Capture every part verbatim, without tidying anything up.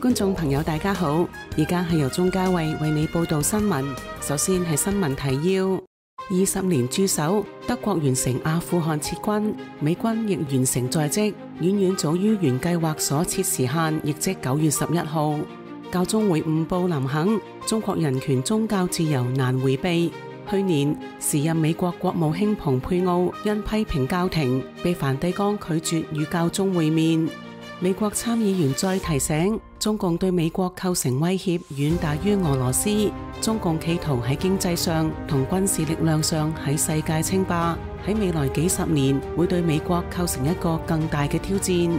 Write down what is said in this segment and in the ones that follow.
觀眾朋友大家好，而家係由鍾嘉慧為你報道新聞。首先係新聞提要：二十年駐守，德國完成阿富汗撤軍，美軍亦完成在職，遠遠早於原計劃所設時限，亦即九月十一號。教宗會晤布林肯，中國人權宗教自由難迴避。去年時任美國國務卿蓬佩奧因批評教廷，被梵蒂岡拒絕與教宗會面。美國參議員再提醒，中共對美國構成威脅遠大於俄羅斯，中共企圖喺經濟上同軍事力量上喺世界稱霸，喺未來幾十年會對美國構成一個更大嘅挑戰。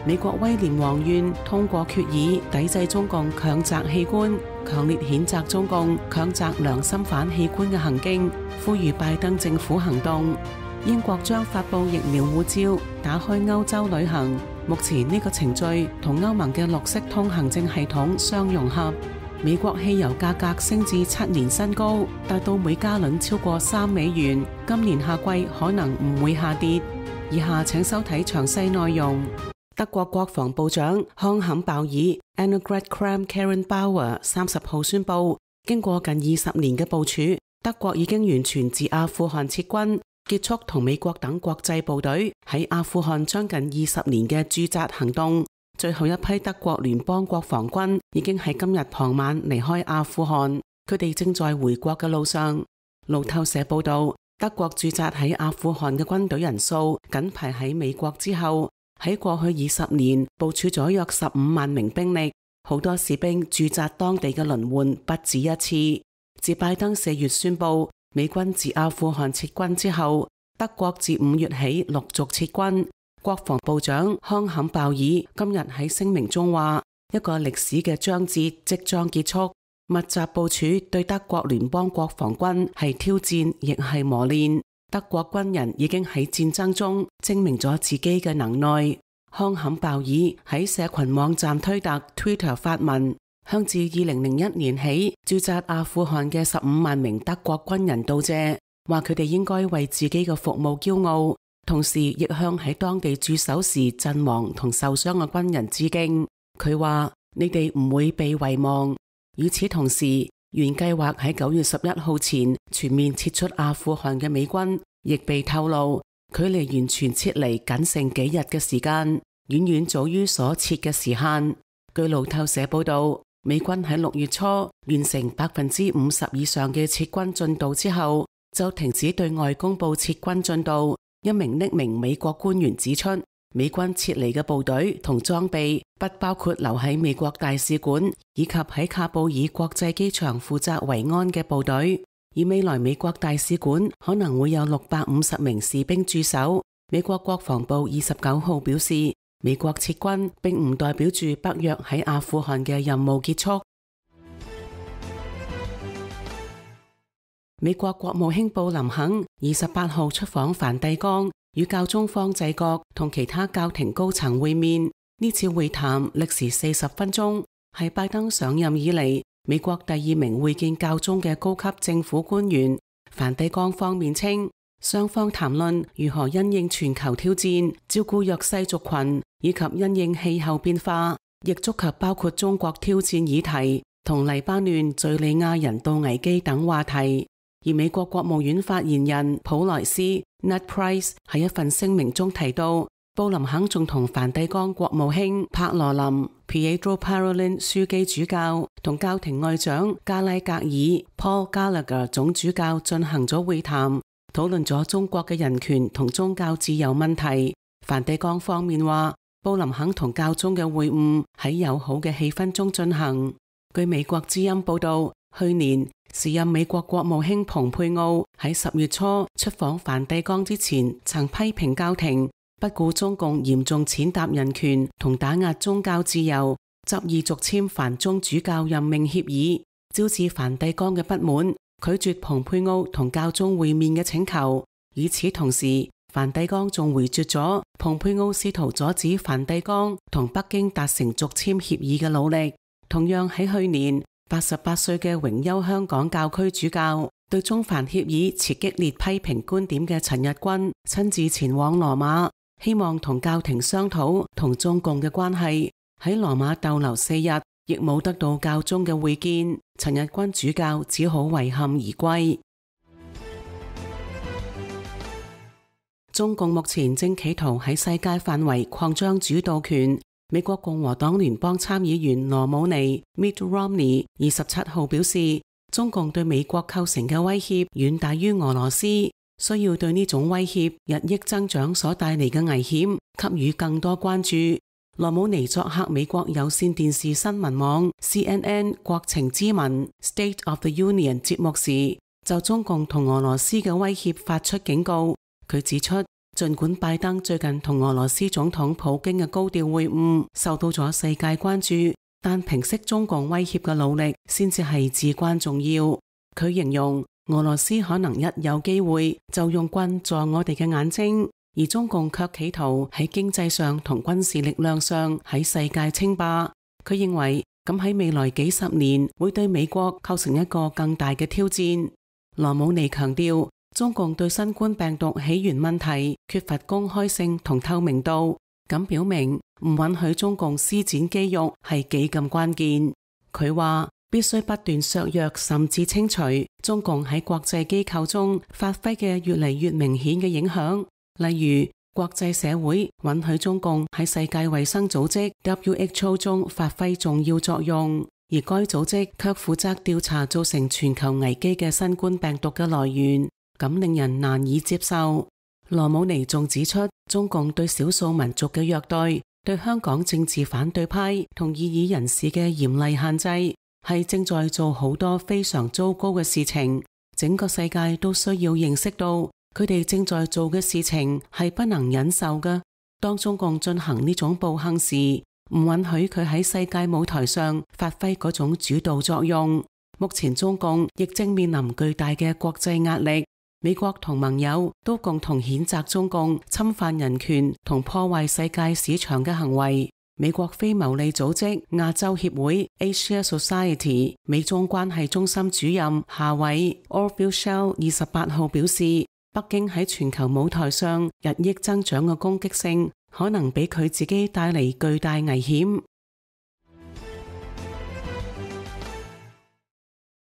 美國威廉王院通過決議抵制中共強摘器官，強烈譴責中共強摘良心犯器官嘅行徑，呼籲拜登政府行動。英國將發布疫苗護照，打開歐洲旅行。目前呢個程序同歐盟嘅綠色通行證系統相融合。美國汽油價格升至七年新高，達到每加侖超過三美元。今年夏季可能唔會下跌。以下請收睇詳細內容。德國國防部長康坎鮑爾 Annegret Kramp-Karrenbauer 三十號宣布，經過近二十年嘅部署，德國已經完全自阿富汗撤軍，結束同美國等國際部隊喺阿富汗將近二十年嘅駐紮行動。最後一批德國聯邦國防軍已經喺今日傍晚離開阿富汗，佢哋正在回國嘅路上。路透社報道，德國駐紮喺阿富汗嘅軍隊人數僅排喺美國之後。喺過去二十年部署咗約十五萬名兵力，好多士兵駐紮當地嘅輪換不止一次。自拜登四月宣布美軍自阿富汗撤軍之後，德國自五月起陸續撤軍。國防部長康坎鮑爾今日喺聲明中話，一個歷史嘅章節即將結束。密集部署對德國聯邦國防軍係挑戰，亦係磨練。德國軍人已經喺戰爭中證明咗自己嘅能耐。康坎鮑爾喺社群網站推特 Twitter 發文，向自二零零一年起駐紮阿富汗嘅十五萬名德國軍人道謝，話佢哋應該為自己嘅服務驕傲，同時亦向喺當地駐守時陣亡同受傷嘅軍人致敬。佢話：你哋唔會被遺忘。與此同時，原計劃喺九月十一號前全面撤出阿富汗嘅美軍，亦被透露距離完全撤離僅剩幾日嘅時間，遠遠早於所設嘅時限。據路透社報道，美軍喺六月初完成百分之五十以上嘅撤軍進度之後，就停止對外公布撤軍進度。一名匿名美國官員指出，美軍撤離嘅部隊同裝備不包括留喺美國大使館以及喺喀布爾國際機場負責維安嘅部隊，而未來美國大使館可能會有六百五十名士兵駐守。美國國防部二十九號表示，美國撤軍並唔代表住北約喺阿富汗嘅任務結束。美國國務卿布林肯二十八號出訪梵蒂岡，與教宗方濟各同其他教廷高層會面。呢次會談歷時四十分鐘，係拜登上任以嚟美國第二名會見教宗嘅高級政府官員。梵蒂岡方面稱，雙方談論如何因應全球挑戰，照顧弱勢族群，以及因應氣候變化，亦觸及包括中國挑戰議題同黎巴嫩、敘利亞人道危機等話題。而美國國務院發言人普萊斯 Ned Price 喺一份聲明中提到，布林肯仲同梵蒂岡國務卿帕羅林 Pietro Parolin 樞機主教同教廷外長加拉格爾 Paul Gallagher 總主教進行咗會談，討論咗中國嘅人權同宗教自由問題。梵蒂岡方面話，布林肯同教宗嘅會晤喺友好嘅氣氛中進行。據美國之音報道，去年時任美國國務卿蓬佩奧喺十月初出訪梵蒂岡之前，曾批評教廷不顧中共嚴重踐踏人權同打壓宗教自由，執意續簽梵中主教任命協議，招致梵蒂岡嘅不滿，拒絕蓬佩奧同教宗會面嘅請求。與此同時，梵蒂岡仲回絕咗蓬佩奧試圖阻止梵蒂岡同北京達成續簽協議嘅努力。同樣喺去年，八十八歲嘅榮休香港教區主教，對中梵協議持激烈批評觀點嘅陳日君親自前往羅馬，希望同教廷商討同中共嘅關係，喺羅馬逗留四日，亦冇得到教宗嘅會見。陳日君主教只好遺憾而歸。中共目前正企圖喺世界範圍擴張主導權。美國共和黨聯邦參議員羅姆尼 （Mitt Romney） 二十七號表示，中共對美國構成嘅威脅遠大於俄羅斯，需要對呢種威脅日益增長所帶嚟嘅危險給予更多關注。羅姆尼作客美國有線電視新聞網 C N N 國情咨文 State of the Union 節目時，就中共同俄羅斯嘅威脅發出警告。佢指出，儘管拜登最近同俄羅斯總統普京嘅高調會晤受到咗世界關注，但平息中共威脅嘅努力先至係至關重要。佢形容俄羅斯可能一有機會就用棍助我哋嘅眼睛，而中共卻企圖喺經濟上同軍事力量上喺世界稱霸。佢認為咁喺未來幾十年會對美國構成一個更大嘅挑戰。羅姆尼強調，中共對新冠病毒起源問題缺乏公開性同透明度，咁表明唔允許中共施展肌肉係幾咁關鍵。佢話必須不斷削弱甚至清除中共喺國際機構中發揮嘅越嚟越明顯嘅影響，例如國際社會允許中共喺世界衛生組織 W H O 中發揮重要作用，而該組織卻負責調查造成全球危機嘅新冠病毒嘅來源。咁令人難以接受。羅姆尼仲指出，中共對少數民族嘅虐待，對香港政治反對派同異議人士嘅嚴厲限制，係正在做好多非常糟糕嘅事情。整個世界都需要認識到，佢哋正在做嘅事情係不能忍受嘅。當中共進行呢種暴行時，唔允許佢喺世界舞台上發揮嗰種主導作用。目前中共亦正面臨巨大嘅國際壓力。美國同盟友都共同譴責中共侵犯人權同破壞世界市場嘅行為。美國非牟利組織亞洲協會 Asia Society 美中關係中心主任夏偉 Orville Schell 二十八號表示，北京喺全球舞台上日益增長嘅攻擊性，可能俾佢自己帶嚟巨大危險。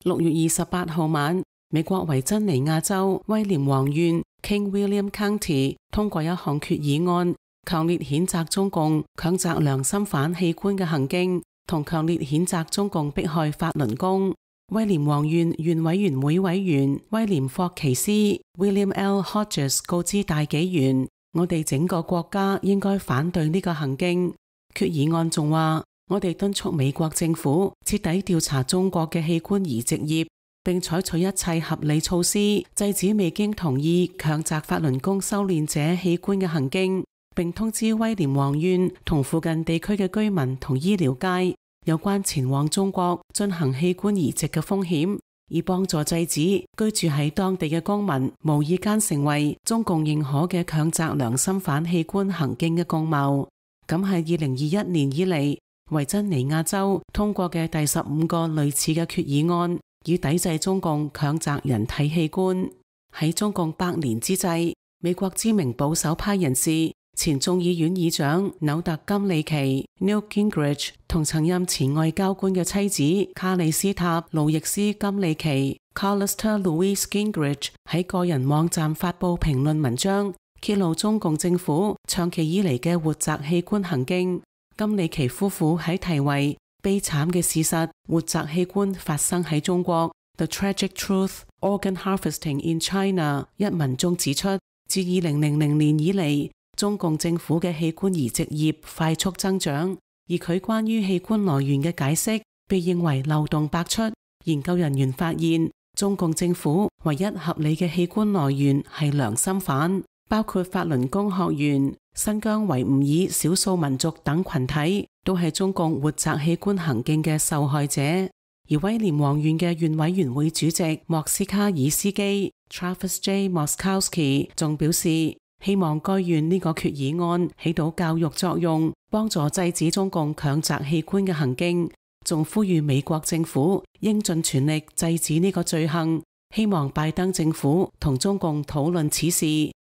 六月二十八號晚，美國維珍尼亞州威廉王縣 King William County 通過一項決議案，強烈譴責中共強摘良心犯器官嘅行徑，同強烈譴責中共迫害法輪功。威廉王縣縣委員會委員威廉霍奇斯 William L. Hodges 告知大紀元，我哋整個國家應該反對呢個行徑。決議案仲話，我哋敦促美國政府徹底調查中國嘅器官移植業，並採取一切合理措施，制止未經同意強摘法輪功修煉者器官嘅行徑，並通知威廉王縣同附近地區嘅居民同醫療界有關前往中國進行器官移植嘅風險，以幫助制止居住喺當地嘅公民無意間成為中共認可嘅強摘良心犯器官行徑嘅共謀。咁係二零二一年以嚟維珍尼亞州通過嘅第十五個類似嘅決議案，以抵制中共強摘人體器官。喺中共百年之際，美國知名保守派人士前眾議院議長紐特金里奇 Newt Gingrich 同曾任前外交官嘅妻子卡里斯塔路易斯金里奇 Callista Louise Gingrich 喺個人網站發布評論文章，揭露中共政府長期以嚟嘅活摘器官行徑。金里奇夫婦喺題為悲慘嘅事實，活摘器官發生喺中國 The Tragic Truth Organ Harvesting in China 一文中指出，自二零零零年以嚟，中共政府嘅器官移植業快速增長，而佢關於器官來源嘅解釋被認為漏洞百出。研究人員發現，中共政府唯一合理嘅器官來源係良心犯，包括法輪功學員、新疆維吾爾少數民族等群體，都係中共活摘器官行徑嘅受害者。而威廉王縣嘅縣委員會主席莫斯卡爾斯基 Travis J. Moskowski 仲表示，希望該縣呢個決議案起到教育作用，幫助制止中共強摘器官嘅行徑，仲呼籲美國政府應盡全力制止呢個罪行，希望拜登政府同中共討論此事，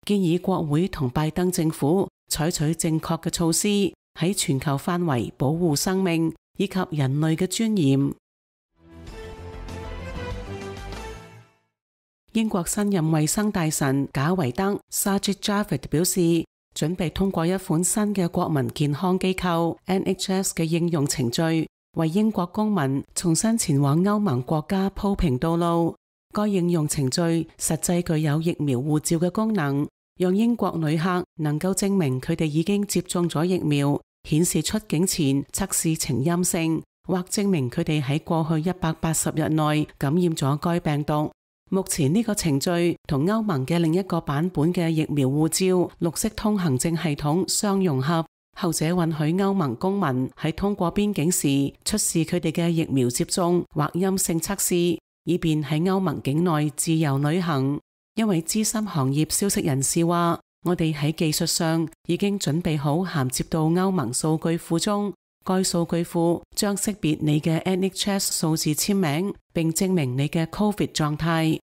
建議國會同拜登政府採取正確嘅措施，喺全球範圍保護生命以及人類嘅尊嚴。英國新任衛生大臣賈維德 Sajid Javid 表示，準備通過一款新嘅國民健康機構 N H S 嘅應用程序，為英國公民重新前往歐盟國家鋪平道路。該應用程序實際具有疫苗護照嘅功能，讓英國旅客能夠證明佢哋已經接種咗疫苗，顯示出境前測試呈陰性，或證明佢哋喺過去一百八十日內感染咗該病毒。目前呢個程序同歐盟嘅另一個版本嘅疫苗護照綠色通行證系統相融合，後者允許歐盟公民喺通過邊境時出示佢哋嘅疫苗接種或陰性測試，以便喺歐盟境內自由旅行。一位資深行業消息人士話，我哋喺技術上已經準備好銜接到歐盟數據庫中，該數據庫將識別你嘅 N H S 數字簽名，並證明你嘅 Covid 狀態。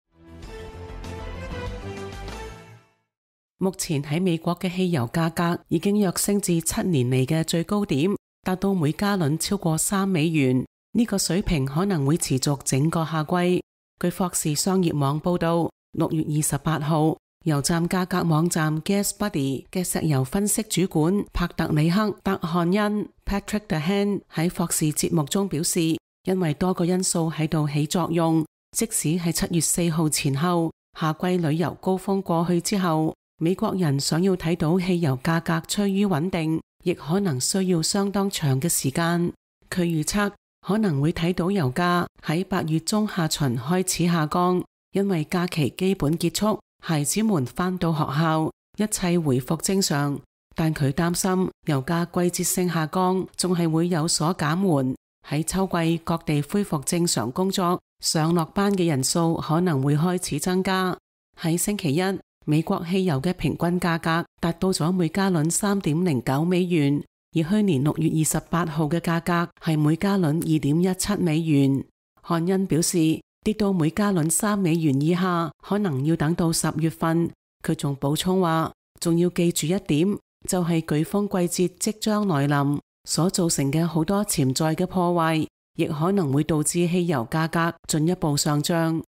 目前喺美國嘅汽油價格已經躍升至七年嚟嘅最高點，達到每加侖超過三美元。呢個水平可能會持續整個夏季。據霍士商業網報道，六月二十八號，油站價格網站 GasBuddy 嘅石油分析主管帕特里克·德漢恩 Patrick Dehan 喺霍士節目中表示，因為多個因素喺度起作用，即使係七月四號前後，夏季旅遊高峰過去之後，美國人想要睇到汽油價格趨於穩定，亦可能需要相當長嘅時間。佢預測可能會睇到油價喺八月中下旬開始下降，因為假期基本結束，孩子們返到學校，一切回復正常。但佢擔心油價季節性下降仲係會有所減緩。喺秋季各地恢復正常工作，上落班嘅人數可能會開始增加。喺星期一，美國汽油嘅平均價格達到咗每加侖三點零九美元，而去年六月二十八號嘅價格係每加侖二點一七美元。漢恩表示，跌到每加侖三美元以下，可能要等到十月份。佢仲補充話，仲要記住一點，就係颶風季節即將來臨，所造成嘅好多潛在嘅破壞，亦可能會導致汽油價格進一步上漲。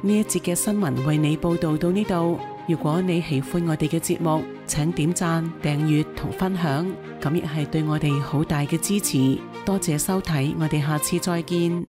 呢一節嘅新聞為你報道到呢度。如果你喜歡我哋嘅節目，請點讚、訂閱同分享，咁亦係對我哋好大嘅支持。多謝收睇，我哋下次再見。